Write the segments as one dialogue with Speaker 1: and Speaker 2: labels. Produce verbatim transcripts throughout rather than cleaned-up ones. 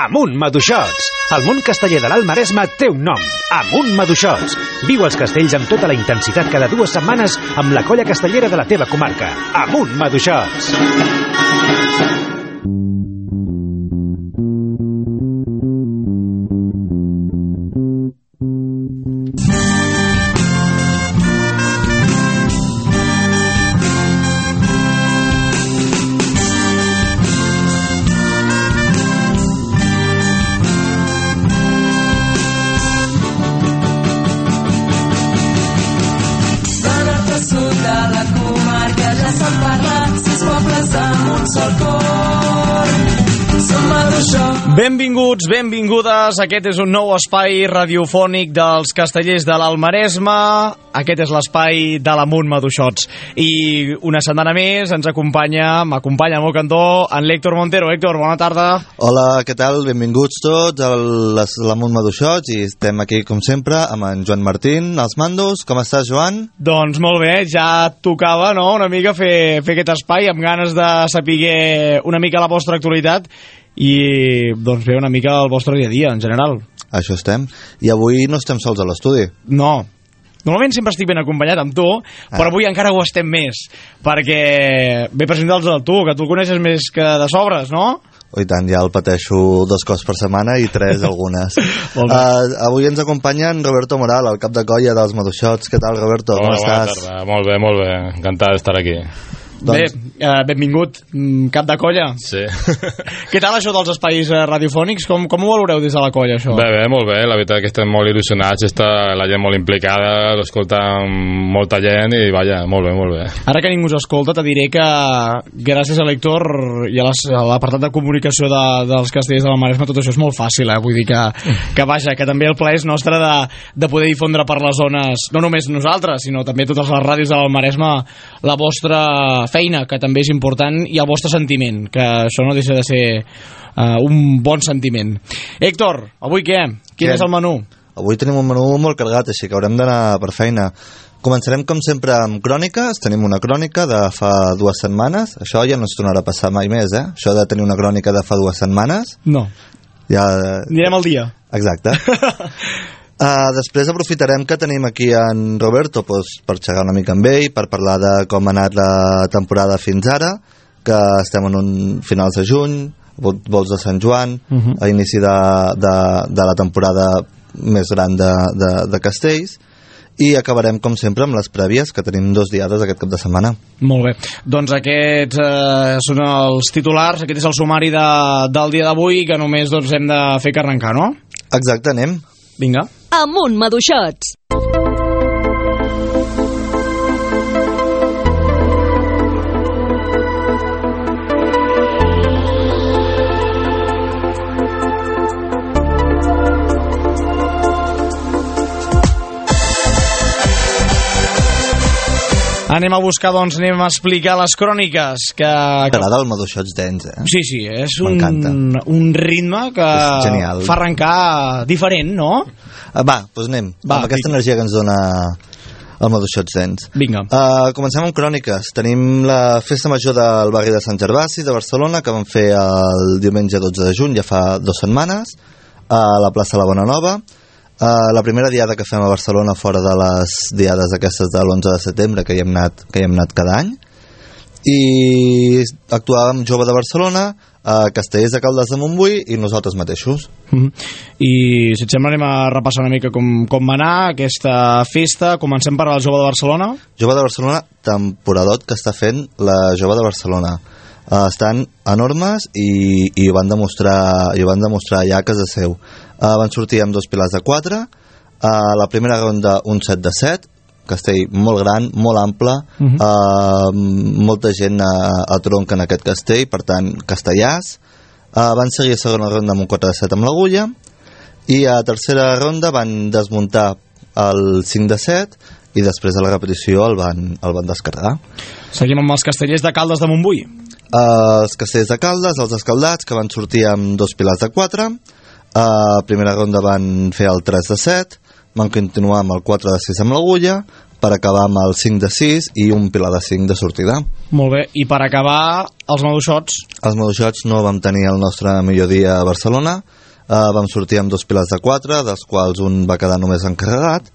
Speaker 1: Amunt Maduixots! El món casteller de l'Alt Maresme té un nom, Amunt Maduixots. Viu els castells amb tota la intensitat cada dues setmanes amb la colla castellera de la teva comarca. Amunt Maduixots!
Speaker 2: Benvinguts, benvingudes. Aquest és un nou espai radiofònic dels castellers de l'Alt Maresme. Aquest és l'espai de l'Amunt Maduixots. I una setmana més ens acompanya, m'acompanya al meu cantó, en l'Héctor Montero. Héctor, bona tarda.
Speaker 3: Hola, què tal? Benvinguts tots a l'Amunt Maduixots i estem aquí, com sempre, amb en Joan Martín, als mandos. Com estàs, Joan?
Speaker 2: Doncs molt bé, ja tocava, no?, una mica fer, fer aquest espai amb ganes de saber una mica la vostra actualitat i doncs fer una mica el vostre dia a dia en general.
Speaker 3: Això estem. I avui no estem sols a l'estudi.
Speaker 2: No. Normalment sempre estic ben acompanyat amb tu, ah. però avui encara ho estem més, perquè ve presenta'ls a tu, que tu el coneixes més que de sobres, no?
Speaker 3: Oh, i tant, ja el pateixo dos cops per setmana i tres algunes. uh, avui ens acompanya en Roberto Moral, el cap de colla dels Maduixots. Què tal, Roberto?
Speaker 4: Hola,
Speaker 3: com estàs?
Speaker 4: Bona tarda. Molt bé, molt bé. Encantat d'estar aquí.
Speaker 2: Doncs... Bé, eh, benvingut, cap de colla.
Speaker 4: Sí.
Speaker 2: Què tal això dels espais eh, radiofònics? Com, com ho valoreu des de la colla, això?
Speaker 4: Bé, bé, molt bé. La veritat que estem molt il·lusionats, està la gent molt implicada, l'escolta molta gent i, vaja, molt bé, molt bé.
Speaker 2: Ara que ningú us escolta, te diré que gràcies a l'Héctor i a l'apartat de comunicació de, dels castellers de la Maresme tot això és molt fàcil, eh? Vull dir que, que vaja, que també el plaer és nostre de, de poder difondre per les zones, no només nosaltres, sinó també totes les ràdios de la Maresme, la vostra feina, que també és important, i el vostre sentiment, que això no deixa de ser uh, un bon sentiment. Héctor, avui què? Quin què? És el menú?
Speaker 3: Avui tenim un menú molt carregat, així que haurem d'anar per feina. Començarem, com sempre, amb cròniques. Tenim una crònica de fa dues setmanes. Això ja no es tornarà a passar mai més, eh? Això de tenir una crònica de fa dues setmanes.
Speaker 2: No.
Speaker 3: Ja...
Speaker 2: Anirem al dia.
Speaker 3: Exacte. Uh, després aprofitarem que tenim aquí en Roberto pues, per xerrar una mica amb ell, per parlar de com ha anat la temporada fins ara, que estem en un finals de juny, vols de Sant Joan, uh-huh. a inici de, de, de la temporada més gran de, de, de castells, i acabarem com sempre amb les prèvies, que tenim dos diades aquest cap de setmana.
Speaker 2: Molt bé, doncs aquests eh, són els titulars, aquest és el sumari de, del dia d'avui, que només doncs, hem de fer que arrencar, no?
Speaker 3: Exacte, anem.
Speaker 2: Vinga.
Speaker 5: Amunt Maduixots.
Speaker 2: Anem a buscar, doncs, anem a explicar les cròniques que...
Speaker 3: T'agrada el Maduixots Dance, eh?
Speaker 2: Sí, sí, és un, un ritme que fa arrencar diferent, no?
Speaker 3: Va, doncs anem, Va, amb aquesta energia que ens dona el Maduixots Dance.
Speaker 2: Vinga.
Speaker 3: Uh, comencem amb cròniques. Tenim la festa major del barri de Sant Gervasi, de Barcelona, que vam fer el diumenge dotze de juny, ja fa dues setmanes, a la plaça La Bona Nova. Uh, la primera diada que fem a Barcelona fora de les diades aquestes de l'onze de setembre que hi hem anat, que hi hem anat cada any, i actuàvem Jove de Barcelona, uh, Castellers de Caldes de Montbui i nosaltres mateixos.
Speaker 2: Mm-hmm. I si et sembla anem a repassar una mica com, com va anar aquesta festa. Comencem per el Jove de Barcelona.
Speaker 3: Jove de Barcelona, temporadot que està fent la Jove de Barcelona. Uh, estan enormes i, i ho van demostrar, i ho van demostrar ja a casa seu. Uh, van sortir amb dos pilars de quatre, uh, la primera ronda un set de set, castell molt gran, molt ample, uh-huh. uh, molta gent a, a tronc en aquest castell, per tant castellars. Uh, van seguir a segona ronda amb un quatre de set amb l'agulla, i a tercera ronda van desmuntar el cinc de set i després de la repetició el van, el van descarregar.
Speaker 2: Seguim amb els castellers de Caldes de Montbui.
Speaker 3: Uh, els castellers de Caldes, els escaldats, que van sortir amb dos pilars de quatre. A uh, primera ronda van fer el tres de set, van continuar amb el quatre de sis amb l'agulla, per acabar amb el cinc de sis i un pilar de cinc de sortida.
Speaker 2: Molt bé, i per acabar els maduixots?
Speaker 3: Els maduixots no vam tenir el nostre millor dia a Barcelona, uh, vam sortir amb dos pilars de quatre, dels quals un va quedar només encarregat,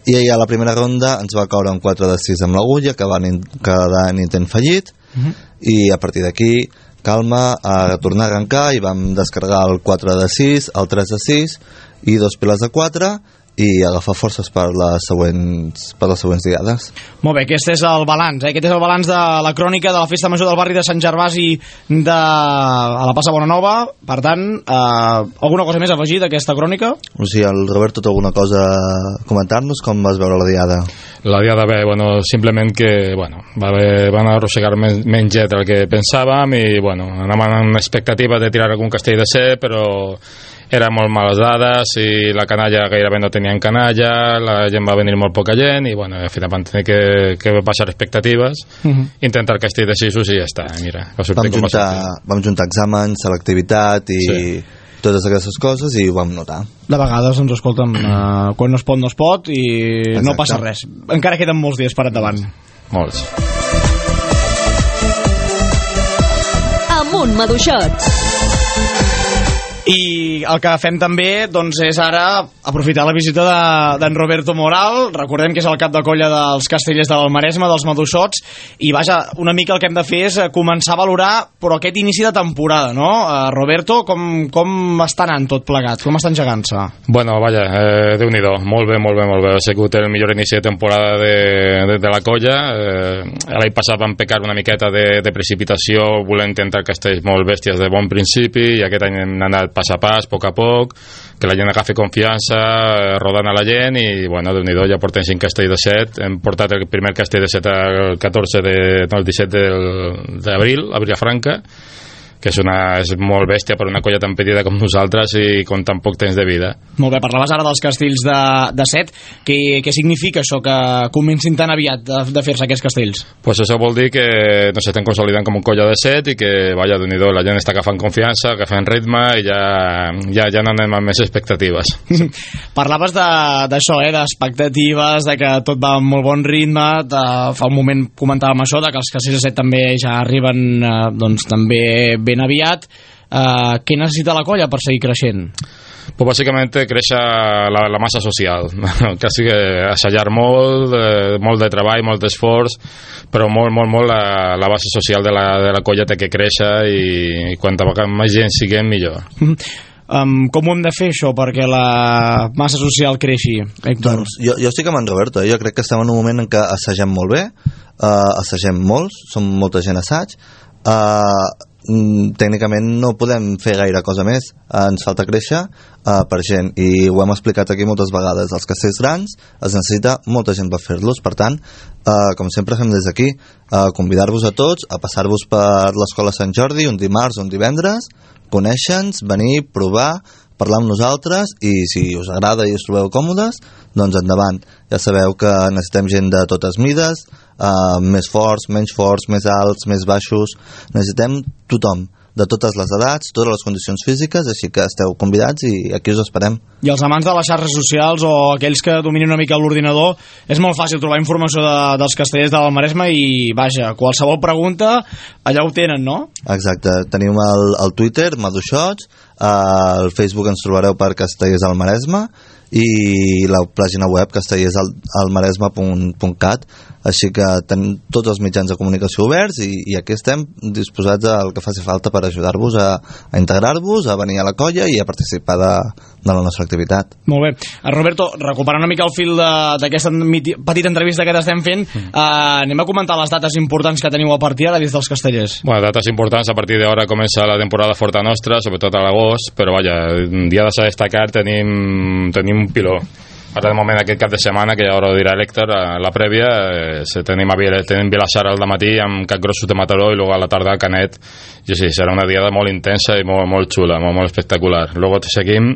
Speaker 3: i a la primera ronda ens va caure un quatre de sis amb l'agulla, que va quedar en intent fallit, uh-huh. i a partir d'aquí calma a tornar a arrencar i vam descarregar el quatre de sis, el tres de sis i dos pilars de quatre i agafar forces per les següents, per les següents diades.
Speaker 2: Molt bé, aquest és el balanç, eh? Aquest és el balanç de la crònica de la Festa Major del barri de Sant Gervasi de a la Plaça Bonanova. Per tant, eh, alguna cosa més a afegir d'aquesta crònica?
Speaker 3: O sigui, el Roberto té alguna cosa a comentar-nos? Com vas veure la diada?
Speaker 4: La diada bé, bueno, simplement que bueno, va haver, van arrossegar men menys llet del que pensàvem i bueno, anàvem amb expectativa de tirar algun castell de set, però eren molt males dades i la canalla gairebé no tenien canalla, la gent va venir molt poca gent i bueno, al final van tenir que, que baixar expectatives, uh -huh. intentar el castell de sis i ja està, mira, va sortir
Speaker 3: vam
Speaker 4: com
Speaker 3: juntar,
Speaker 4: va sortir.
Speaker 3: Vam juntar exàmens, selectivitat i sí. totes aquestes coses i ho vam notar.
Speaker 2: De vegades, doncs, escolta'm, uh, quan no es pot, no es pot i exacte. No passa res. Encara queden molts dies per endavant.
Speaker 4: Molts.
Speaker 5: Amunt, maduixots.
Speaker 2: I el que fem també doncs, és ara aprofitar la visita d'en de, Roberto Moral. Recordem que és el cap de colla dels Castellers de l'Almaresme, dels maduixots, i vaja, una mica el que hem de fer és començar a valorar però aquest inici de temporada, no? Uh, Roberto, com, com està anant tot plegat? Com està engegant-se?
Speaker 4: Bueno, vaja, eh, Déu-n'hi-do, molt bé, molt bé, molt bé. Ha sigut el millor inici de temporada de, de, de la colla. Eh, l'any passat vam pecar una miqueta de, de precipitació, volent intentar castells molt bèsties de bon principi, i aquest any hem anat pas a pas, a poc a poc, que la gent agafi confiança, rodant a la gent, i bueno, Déu-n'hi-do, ja portem cinc castells de set. Hem portat el primer castell de set el catorze de, no, el disset d'abril a Vilafranca, que és, una, és molt bèstia per una colla tan petita com nosaltres i con tan poc temps de vida.
Speaker 2: Molt bé, parlaves ara dels castells de, de set. Què, què significa això, que comencin tan aviat de, de fer-se aquests castells?
Speaker 4: Pues això vol dir que no s'estan consolidant com un colla de set i que, vaja, Déu-n'hi-do, la gent està agafant confiança, agafant ritme i ja, ja, ja no anem amb més expectatives.
Speaker 2: Parlaves d'això, eh, d'expectatives, de que tot va amb molt bon ritme, de, fa un moment comentàvem això, de que els castells de set també ja arriben eh, doncs també ben aviat. Uh, què necessita la colla per seguir creixent?
Speaker 4: Pues bàsicament créixer la, la massa social, quasi que assajar molt, eh, molt de treball, molt d'esforç, però molt, molt, molt la, la base social de la, de la colla té que créixer i, i quanta més gent siguem millor.
Speaker 2: Um, com ho hem de fer això perquè la massa social creixi, Héctor?
Speaker 3: Doncs jo, jo estic amb en Roberto, eh? Jo crec que estem en un moment en què assagem molt bé, uh, assagem molts, som molta gent assaig, uh, tècnicament no podem fer gaire cosa més, ens falta créixer uh, per gent, i ho hem explicat aquí moltes vegades. Els castells grans es necessita molta gent per fer-los, per tant uh, com sempre fem des d'aquí, uh, convidar-vos a tots a passar-vos per l'Escola Sant Jordi un dimarts o un divendres, conèixer-nos, venir, provar, parlar amb nosaltres, i si us agrada i us trobeu còmodes, doncs endavant. Ja sabeu que necessitem gent de totes mides, uh, més forts, menys forts, més alts, més baixos, necessitem tothom, de totes les edats, totes les condicions físiques, així que esteu convidats i aquí us esperem.
Speaker 2: I els amants de les xarxes socials o aquells que dominin una mica l'ordinador, és molt fàcil trobar informació de, dels castellers de l'Almaresme i, vaja, qualsevol pregunta allà ho tenen, no?
Speaker 3: Exacte, tenim el, el Twitter, Maduixots, al Facebook ens trobareu per Castellers del Maresme i la pàgina web castellersalmaresme punt cat, així que tenim tots els mitjans de comunicació oberts i, i aquí estem disposats al que faci falta per ajudar-vos a, a integrar-vos, a venir a la colla i a participar de, de la nostra activitat.
Speaker 2: Molt bé. Roberto, recuperant una mica el fil d'aquesta petita entrevista que t'estem fent, mm. eh, anem a comentar les dates importants que teniu a partir ara des dels castellers.
Speaker 4: Bueno, dates importants, a partir d'ara comença la temporada forta nostra, sobretot a l'agost, però vaja, un dia de destacar tenim, tenim un piló. Ara de moment aquest cap de setmana, que ja ho dirà l'Héctor, a la prèvia, eh, tenim, a, tenim Vilassar al matí amb capgrossos de Mataró i luego a la tarda a Canet. I sí, serà una diada molt intensa i molt, molt xula, molt, molt espectacular. Luego seguim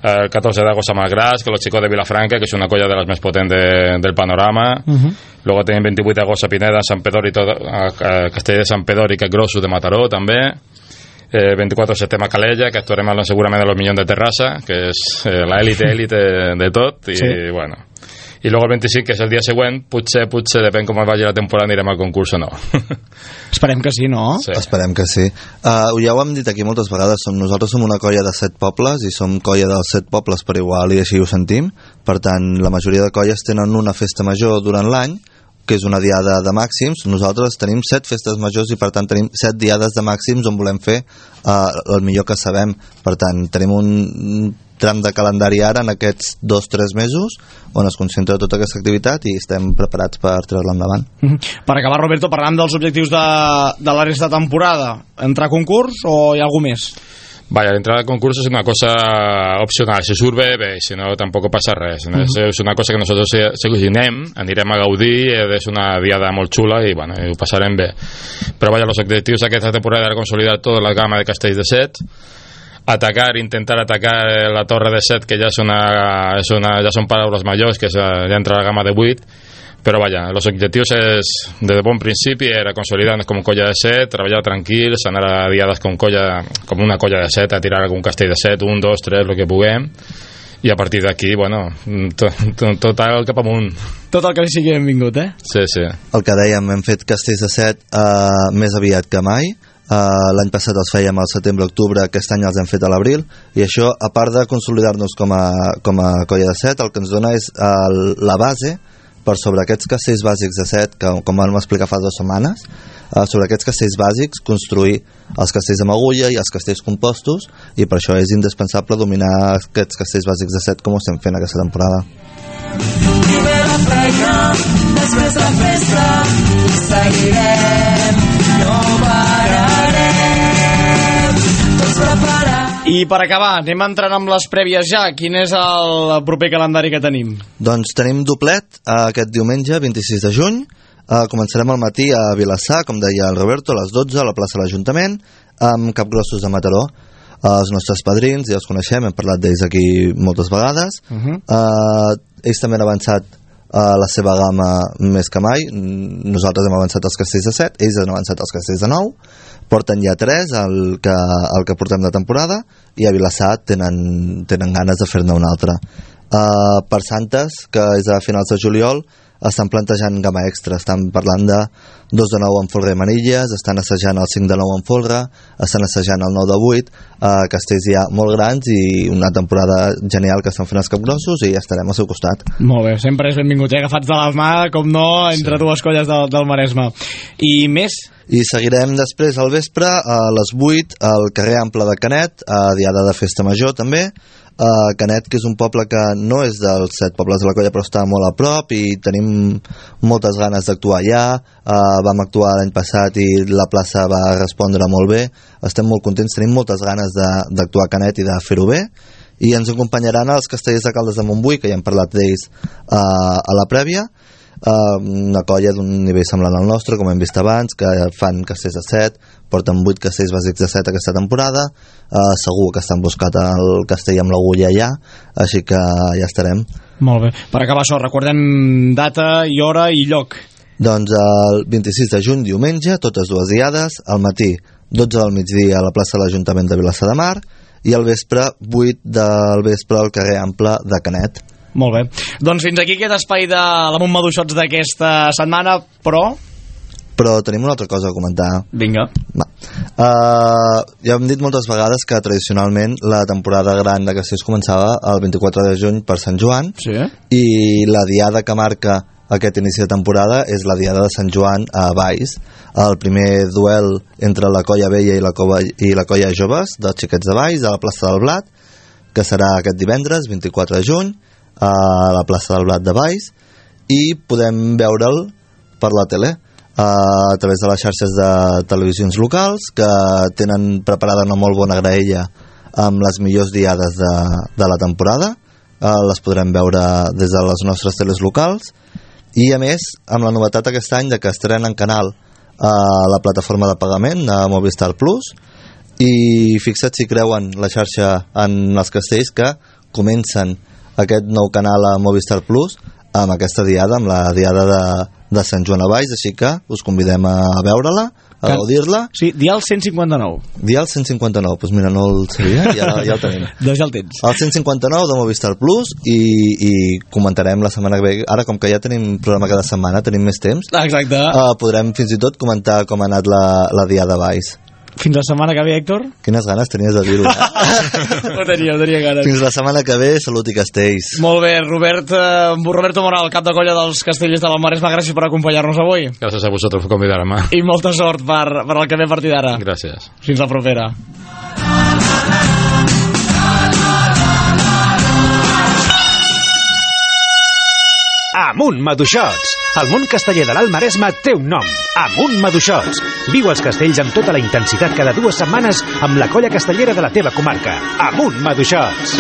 Speaker 4: el catorze d'agost a Malgras, que los chicos de Vilafranca, que és una colla de les més potents de, del panorama. Uh-huh. Luego tenim vint-i-vuit d'agost a Pineda, Sant Pedor i tot, a, a Castell de Sant Pedor i capgrossos de Mataró també. Eh, vint-i-quatre de setembre a Calella, que actuarem segurament a los Millons de Terrassa, que és eh, l'élite élite de tot, i sí. Bueno, i luego el vint-i-cinc, que és el dia següent, potser, potser, depèn com vagi la temporada, anirem al concurs o no.
Speaker 2: Esperem que sí, no?
Speaker 3: Sí. Esperem que sí. Uh, ja ho hem dit aquí moltes vegades, som, nosaltres som una colla de set pobles i som colla dels set pobles per igual i així ho sentim. Per tant, la majoria de colles tenen una festa major durant l'any, que és una diada de màxims. Nosaltres tenim set festes majors i per tant tenim set diades de màxims on volem fer uh, el millor que sabem. Per tant, tenim un tram de calendari ara en aquests dos o tres mesos on es concentra tota aquesta activitat i estem preparats per treure-la endavant.
Speaker 2: Mm-hmm. Per acabar, Roberto, parlant dels objectius de, de la resta de temporada, entrar a concurs o hi ha algú més?
Speaker 4: Vaya, l'entrada al concurs és una cosa opcional, si surt bé, bé, si no tampoc passa res. Uh -huh. És una cosa que nosaltres seguirem, anirem a gaudir, és una diada molt xula i, bueno, ho passarem bé. Però vaja, els objectius d'aquesta temporada era consolidar tota la gamma de castells de set, atacar, intentar atacar la torre de set, que ja és una, és una, ja són paraules majors, que és, ja entra la gamma de vuit. Però vaja, els objectius és, des de bon principi, era consolidar-nos com colla de set, treballar tranquils, anar a diades com, colla, com una colla de set, a tirar algun castell de set, un, dos, tres, el que puguem, i a partir d'aquí, bueno, tot, tot, tot el cap amunt.
Speaker 2: Tot el que li sigui benvingut, eh?
Speaker 4: Sí, sí.
Speaker 3: El que dèiem, hem fet castells de set uh, més aviat que mai. Uh, l'any passat els fèiem al setembre-octubre, aquest any els hem fet a l'abril, i això, a part de consolidar-nos com a, com a colla de set, el que ens dona és uh, la base per sobre aquests castells bàsics de set, que com vam explicar fa dues setmanes, uh, sobre aquests castells bàsics construir els castells amb agulla i els castells compostos, i per això és indispensable dominar aquests castells bàsics de set com ho estem fent aquesta temporada.
Speaker 6: Primer la feina, després la festa, seguirem, no pararem, tots preparats.
Speaker 2: I per acabar, anem entrant amb les prèvies ja. Quin és el proper calendari que tenim?
Speaker 3: Doncs tenim doblet uh, aquest diumenge, vint-i-sis de juny. Uh, començarem al matí a Vilassar, com deia el Roberto, a les dotze, a la plaça de l'Ajuntament, amb Capgrossos de Mataró. Uh, els nostres padrins, ja els coneixem, hem parlat d'ells aquí moltes vegades. Uh-huh. uh, ells també han avançat uh, la seva gamma més que mai. Nosaltres hem avançat els castells de set, ells han avançat els castells de nou. Porten ja tres el que, el que portem de temporada, i a Vilassar tenen, tenen ganes de fer-ne un altre. Uh, per Santes, que és a finals de juliol, estan plantejant gamma extra, estan parlant de dos de nou en folre i manilles, estan assajant el cinc de nou en folre, estan assajant el nou de vuit, uh, castells ja molt grans i una temporada genial que estan fent els capgrossos, i ja estarem al seu costat.
Speaker 2: Molt bé, sempre és benvingut, eh? Agafats de la mà, com no, entre sí. dues colles del, del Maresme. I més?
Speaker 3: I seguirem després al vespre a les vuit al carrer Ample de Canet, a diada de festa major també. Uh, Canet, que és un poble que no és dels set pobles de la colla, però està molt a prop i tenim moltes ganes d'actuar allà. Uh, vam actuar l'any passat i la plaça va respondre molt bé. Estem molt contents, tenim moltes ganes d'actuar a Canet i de fer-ho bé. I ens acompanyaran els castellers de Caldes de Montbui, que ja hem parlat d'ells uh, a la prèvia. Uh, una colla d'un nivell semblant al nostre, com hem vist abans, que fan castells de set, porten vuit castells bàsics de set aquesta temporada. Uh, segur que estan buscat el castell amb l'agulla allà, així que ja estarem.
Speaker 2: Molt bé, per acabar això, recordem data i hora i lloc.
Speaker 3: Doncs el vint-i-sis de juny, diumenge, totes dues diades, al matí dotze del migdia a la plaça de l'Ajuntament de Vilassar de Mar, i al vespre vuit del vespre al carrer Ample de Canet.
Speaker 2: Molt bé. Doncs fins aquí aquest espai de l'Amunt Maduixots d'aquesta setmana, però...
Speaker 3: Però tenim una altra cosa a comentar.
Speaker 2: Vinga.
Speaker 3: Va. Uh, ja hem dit moltes vegades que tradicionalment la temporada gran de castells començava el vint-i-quatre de juny per Sant Joan,
Speaker 2: sí.
Speaker 3: I la diada que marca aquest inici de temporada és la diada de Sant Joan a Valls, el primer duel entre la colla vella i la, cova, i la colla joves dels xiquets de Valls a la plaça del Blat, que serà aquest divendres vint-i-quatre de juny a la plaça del Blat de Valls, i podem veure'l per la tele a través de les xarxes de televisions locals, que tenen preparada una molt bona graella amb les millors diades de, de la temporada. Les podrem veure des de les nostres teles locals, i a més amb la novetat aquest any de que estrenen canal a la plataforma de pagament a Movistar Plus, i fixa't si creuen la xarxa en els castells que comencen aquest nou canal a Movistar Plus amb aquesta diada, amb la diada de, de Sant Joan a Valls, així que us convidem a veure-la, a gaudir-la.
Speaker 2: Sí, dial cent cinquanta-nou.
Speaker 3: Dial cent cinquanta-nou, doncs mira, no el sabia, ja, ja el tenim.
Speaker 2: Doncs ja el tens.
Speaker 3: El cent cinquanta-nou de Movistar Plus i, i comentarem la setmana que ve. Ara, com que ja tenim programa cada setmana, tenim més temps,
Speaker 2: exacte.
Speaker 3: Uh, podrem fins i tot comentar com ha anat la, la Diada de Valls.
Speaker 2: Fins la setmana que ve, Héctor?
Speaker 3: Quines ganes tenies de dir-ho, eh?
Speaker 2: ho tenia, ho tenia ganes.
Speaker 3: Fins la setmana que ve, salut i castells.
Speaker 2: Molt bé, Robert, eh, Roberto Moral, cap de colla dels Castellers de la Maresma, gràcies per acompanyar-nos avui.
Speaker 4: Gràcies a vosaltres per convidar-me.
Speaker 2: I molta sort per, per el que ve a partir d'ara.
Speaker 4: Gràcies.
Speaker 2: Fins la propera.
Speaker 1: Amunt Maduixots! El món casteller de l'Alt Maresme té un nom. Amunt Maduixots! Viu els castells amb tota la intensitat cada dues setmanes amb la colla castellera de la teva comarca. Amunt Maduixots!